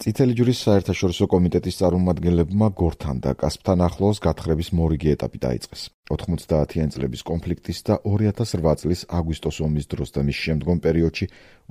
წითელი ჯვრის საერთაშორისო კომიტეტის წარმომადგენლებმა გორთან და კასპთან ახლოს გათხრების მორიგი ეტაპი დაიწყეს. 90-იან წლების კონფლიქტის და 2008 წლის აგვისტოს ომის დროს და მის შემდგომ პერიოდში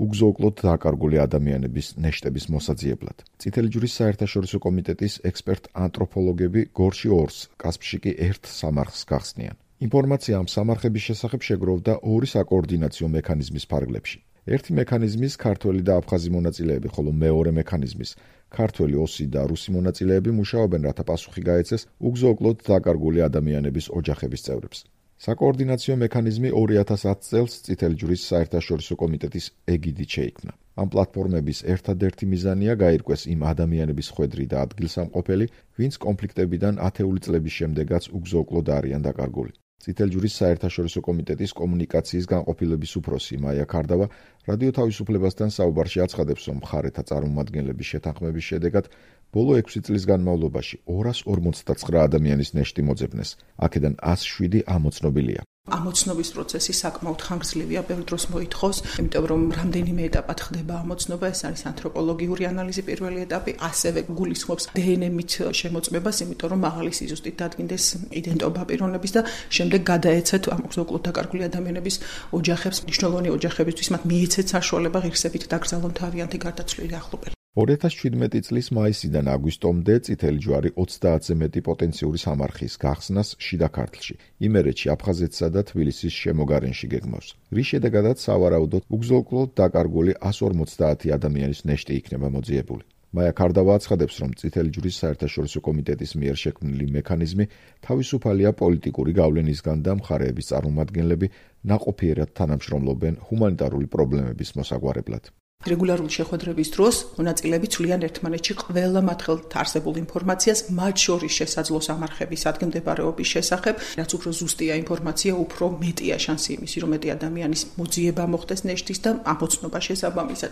უგზო-უკლოდ დაკარგული ადამიანების ნეშტების მოსაძიებლად. წითელი ჯვრის საერთაშორისო კომიტეტის ექსპერტ-ანთროპოლოგები გორში 2-ს, კასპში კი 1 სამარხს გახსნიან. ინფორმაცია ამ სამარხების შესახებ შეგროვდა 2 საკოორდინაციო მექანიზმის ფარგლებში. ერთი მექანიზმის ქართველი და აფხაზი მონაწილეები, ხოლო მეორე მექანიზმის ქართველი, ოსი და რუსი მონაწილეები მუშაობენ, რათა პასუხი გაეცეს უგზო-უკლოდ დაკარგული ადამიანების ოჯახების წევრებს. საკოორდინაციო მექანიზმი 2010 წელს წითელი ჯვრის საერთაშორისო კომიტეტის ეგიდით შეიქმნა. ამ პლატფორმების ერთადერთი მიზანია გაირკვეს იმ ადამიანების ხვედრი და ადგილსამყოფელი, ვინც კონფლიქტებიდან ათეული წლების შემდეგაც უგზო-უკლოდ არიან დაკარგული. წითელი ჯვრის საერთაშორისო კომიტეტის კომუნიკაციის განყოფილების უფროსი მაია ქარდავა რადიო თავისუფლებასთან საუბარში აცხადებს, რომ მხარეთა წარმომადგენლების შეთანხმების შედეგად ბოლო 6 წლის განმავლობაში 259 ადამიანის ნეშტი მოძებნეს. აქედან 107 ამოცნობილია. ამოცნობის პროცესი საკმაოდ ხანგრძლივია, ბევრ დროს მოითხოვს, იმიტომ რომ რამდენიმე ეტაპად ხდება ამოცნობა, ეს არის ანთროპოლოგიური ანალიზი პირველი ეტაპი, ასევე გულისხმობს დნმ-ით შემოწმებას, იმიტომ რომ მაღალი სიზუსტით დადგინდეს იდენტობა პიროვნების და შემდეგ გადაეცეთ ამ უგზო-უკლოდ დაკარგული ადამიანების ოჯახებს, მნიშვნელოვანი ოჯახებისთვის მათ მიეცეთ საშუალება ღირსებით დაკრძალონ თავიანთი გარდაცვლილი ახლობელი. 2017 წლის მაისიდან აგვისტომდე წითელი ჯვარი 30-ზე მეტი პოტენციური სამარხის გახსნას შიდა ქართლში, იმერეთში, აფხაზეთსა და თბილისის შემოგარენში გეგმავს. რის შედეგადაც სავარაუდოდ უგზო-უკლოდ დაკარგული 150 ადამიანის ნეშტი იქნება მოძიებული. მაია ქარდავა აცხადებს, რომ წითელი ჯვრის საერთაშორისო კომიტეტის მიერ შექმნილი მექანიზმი თავისუფალია პოლიტიკური გავლენისგან და მხარეების წარმომადგენლები ნაყოფიერად თანამშრომლობენ ჰუმანიტარული პრობლემების მოსაგვარებლად. რეგულარული შეხვედრების დროს მონაწილეები ცვლიან ერთმანეთში ყველა მათ ხელთ არსებულ ინფორმაციას, მათ შორის შესაძლო სამარხების ადგილმდებარეობის შესახებ, რაც უფრო ზუსტია ინფორმაცია, უფრო მეტია შანსი იმისი, რომ მეტი ადამიანის მოძიება მოხდეს ნეშტის და ამოცნობა შესაბამისად.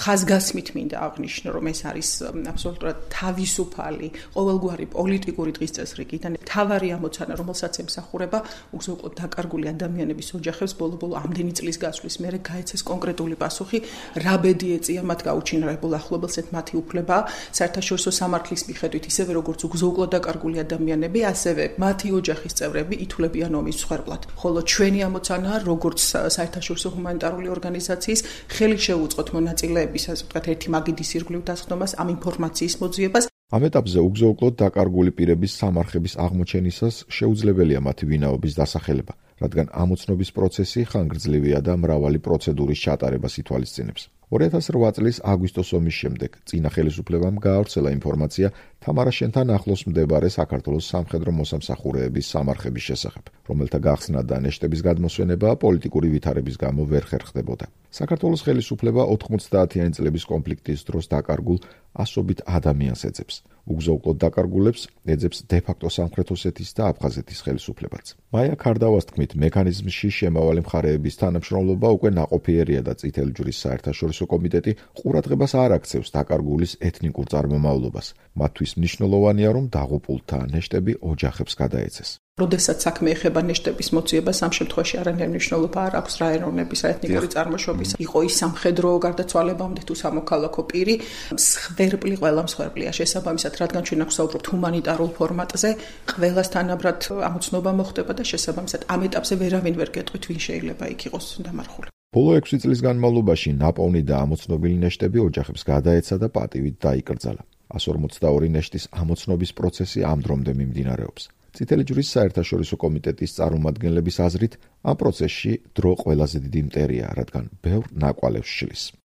ხაზგასმით მინდა აღნიშნო, რომ ეს არის აბსოლუტურად თავისუფალი, ყოველგვარი პოლიტიკური დღის წესრიგიდან მთავარი ამოცანა, რომელსაც ემსახურება უგზო-უკლოდ დაკარგული ადამიანების ოჯახებს ბოლო-ბოლო ამდენი წლის გასვლის მერე გაეცეს კონკრეტული პასუხი, ბედი ეწია მათ გაუჩინარებულ ახლობელს მათი უფლება საერთაშორისო სამართლის მიხედვით ისევე როგორც უგზო-უკლოდ დაკარგული ადამიანები, ასევე მათი ოჯახის წევრები ითვლებიან ომის მსხვერპლად. ხოლო ჩვენი ამოცანაა, როგორც საერთაშორისო ჰუმანიტარული ორგანიზაციის ხელი შევუწყოთ მონაწილეების, ასე ვთქვათ, ერთი მაგიდის ირგვლივ დასხდომას, ამ ინფორმაციის მოძიებას. ამ ეტაპზე უგზო-უკლოდ დაკარგული პირების სამარხების აღმოჩენისას შეუძლებელია მათი ვინაობის დასახელება, რადგან ამოცნობის პროცესი ხანგრძლივია და მრავალი პროცედურის ჩატარებას ითვალისწინებს. 2008 წლის აგვისტოს ომის შემდეგ წინა ხელისუფლებამ გაავრცელა ინფორმაცია თამარაშენთან ახლოს მდებარე საქართველოს სამხედრო მოსამსახურეების სამარხების შესახებ, რომელთა გახსნა და ნეშტების გადმოსვენება პოლიტიკური ვითარების გამო ვერ ხერხდებოდა. საქართველოს ხელისუფლება 90-იანი წლების კონფლიქტის დროს დაკარგულ ასობით ადამიანს ეძებს. უგზო-უკლოდ დაკარგულებს ეძებს დე-ფაქტო სამხრეთ ოსეთის და აფხაზეთის ხელისუფლებაც. მაია ქარდავას თქმით, მექანიზმში შემავალი მხარეების თანამშრომლობა უკვე ნაყოფიერია და წითელი ჯვრის საერთაშორისო კომიტეტი ყურადღებას არ აქცევს დაკარგულის ეთნიკურ წარმომავლობას. მათთვის მნიშვნელოვანია, რომ დაღუპულთა ნეშტები ოჯახებს გადაეცეს. როდესაც საქმე ეხება ნეშტების მოძიებას, ამ შემთხვევაში არანაირი მნიშვნელობა არ აქვს რა ეროვნების, რა ეთნიკური წარმოშობის, იყო ის სამხედრო გარდაცვალებამდე თუ სამოქალაქო პირი, მსხვერპლი ყველა მსხვერპლია შესაბამისად, რადგან ჩვენ აქ ვსაუბრობთ ჰუმანიტარულ ფორმატზე, ყველას თანაბრად ამოცნობა მოხდება და შესაბამისად ამ ეტაპზე ვერავინ ვერ გეტყვით, ვინ შეიძლება იქ იყოს დამარხული. ბოლო 6 წლის განმავლობაში ნაპოვნი და ამოცნობილი ნეშტები ოჯახებს გადაეცა და პატივით დაიკრძალა. 142 ნეშტის ამოცნობის პროცესი ამ დრომდე მიმდინარეობს. წითელი ჯვრის საერთაშორისო კომიტეტის წარმომადგენლების აზრით, ამ პროცესში დრო ყველაზე დიდი მტერია, რადგან ბევრ ნაკვალევს შლის.